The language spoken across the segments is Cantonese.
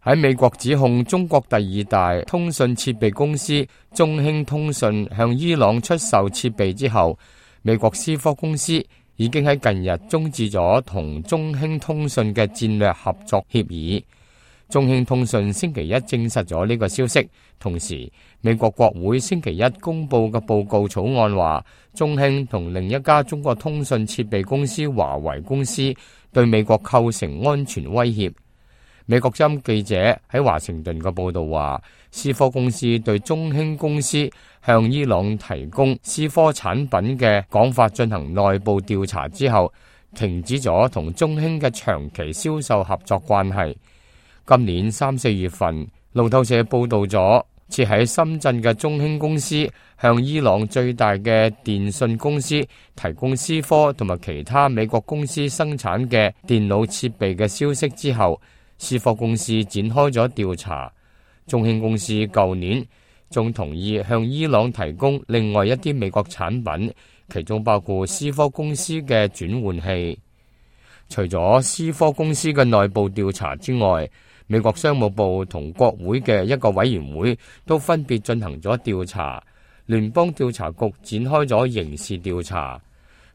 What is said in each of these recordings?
喺美國指控中國第二大通訊設備公司中興通訊向伊朗出售設備之後，美國思科公司已經喺近日終止咗同中興通訊嘅戰略合作協議。中興通訊星期一證實咗呢個消息，同時美國國會星期一公佈嘅報告草案話，中興同另一家中國通訊設備公司華為公司對美國構成安全威脅。美國之音記者喺華盛頓嘅報道話，思科公司對中興公司向伊朗提供思科產品嘅講法進行內部調查之後，停止咗同中興嘅長期銷售合作關係。今年3、4月份，路透社報道咗設喺深圳嘅中興公司向伊朗最大嘅電信公司提供思科同埋其他美國公司生產嘅電腦設備嘅消息之後，思科公司展開咗調查。中興公司舊年仲同意向伊朗提供另外一啲美國產品，其中包括思科公司嘅轉換器。除咗思科公司嘅內部調查之外，美國商務部同國會嘅一個委員會都分別進行咗調查。聯邦調查局展開咗刑事調查。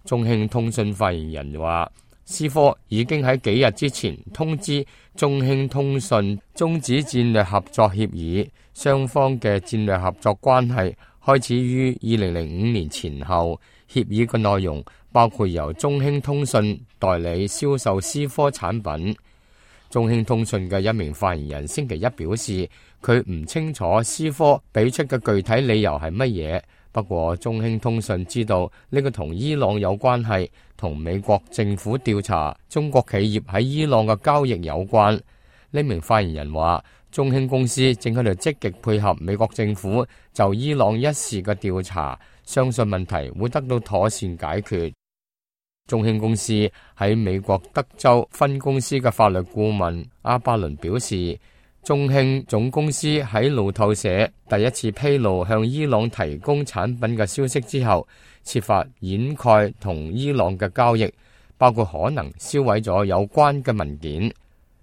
中興通訊發言人話，思科已經喺幾日之前通知中興通訊終止戰略合作協議，雙方嘅戰略合作關係開始於2005年前後。協議嘅內容包括由中興通訊代理銷售思科產品。中興通訊嘅一名發言人星期一表示，佢唔清楚思科俾出嘅具體理由係乜嘢。不過中興通訊知道呢個同伊朗有關係，同美國政府調查中國企業喺伊朗嘅交易有關。呢名發言人話，中興公司正喺度積極配合美國政府就伊朗一事嘅調查，相信問題會得到妥善解決。中興公司喺美國德州分公司嘅法律顧問阿巴倫表示，中興總公司喺路透社第一次披露向伊朗提供產品嘅消息之後，設法掩蓋同伊朗嘅交易，包括可能銷毀咗有關嘅文件。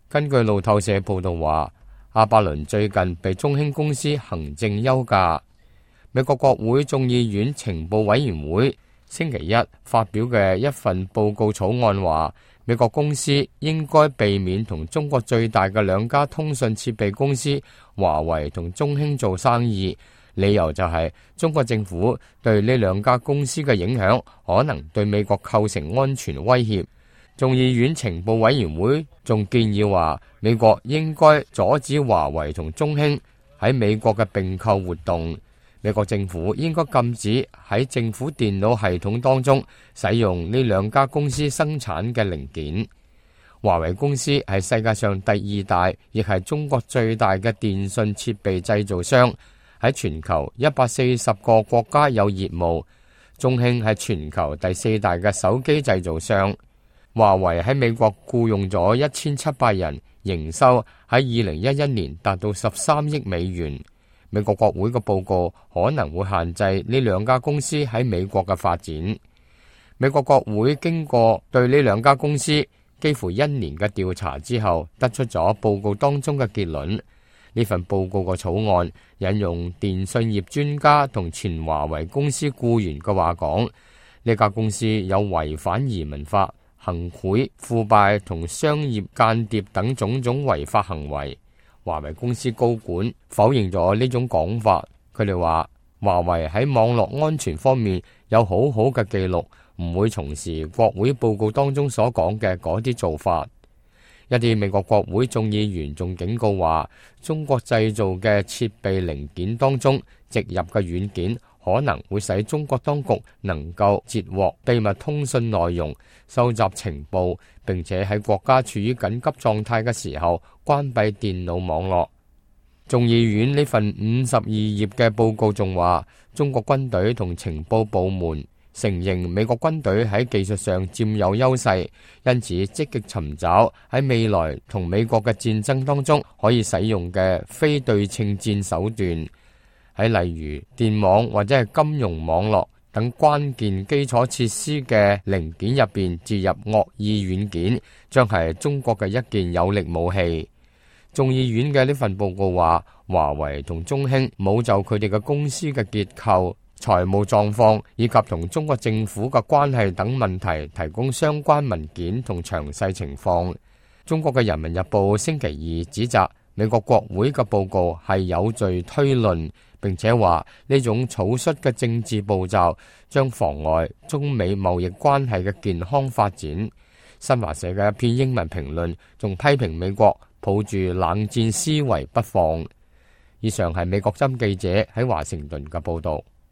根據路透社報道話，阿巴倫最近被中興公司行政休假。美國國會眾議院情報委員會星期一發表嘅一份報告草案話，美國公司應該避免同中國最大嘅兩家通訊設備公司華為同中興做生意，理由就係中國政府對呢兩家公司嘅影響可能對美國構成安全威脅。眾議院情報委員會仲建議話，美國應該阻止華為同中興喺美國嘅併購活動。美國政府應該禁止喺政府電腦系統當中使用呢兩家公司生產嘅零件。華為公司係世界上第二大，亦係中國最大嘅電信設備製造商，喺全球140個國家有業務。中興係全球第四大嘅手機製造商。華為喺美國僱用咗1700人，營收喺2011年達到13億美元。美國國會嘅報告可能會限制呢兩家公司喺美國嘅發展。美國國會經過對呢兩家公司幾乎1年嘅調查之後，得出咗報告當中嘅結論。呢份報告嘅草案引用電信業專家同前華為公司僱員嘅話講，呢家公司有違反移民法、行賄、腐敗同商業間諜等種種違法行為。華為公司高管否認咗呢種講法，佢哋話華為喺網絡安全方面有好好嘅記錄，唔會從事國會報告當中所講嘅嗰啲做法。一啲美國國會眾議員仲警告話，中國製造嘅設備零件當中植入嘅軟件可能會使中國當局能夠截獲秘密通訊內容、收集情報，並且喺國家處於緊急狀態嘅時候關閉電腦網絡。眾議院呢份52頁嘅報告仲話，中國軍隊同情報部門承認美國軍隊喺技術上佔有優勢，因此積極尋找喺未來同美國嘅戰爭當中可以使用嘅非對稱戰手段。喺例如電網或者係金融網絡等關鍵基礎設施嘅零件入邊置入惡意軟件，將係中國嘅一件有力武器。眾議院嘅呢份報告話，華為同中興冇就佢哋嘅公司嘅結構、財務狀況以及同中國政府嘅關係等問題提供相關文件同詳細情況。中國嘅《人民日報》星期二指責美國國會嘅報告係有罪推論，並且話呢種草率嘅政治步驟將妨礙中美貿易關係嘅健康發展。新華社嘅一篇英文評論仲批評美國抱住冷戰思維不放。以上係美國針記者喺華盛頓嘅報道。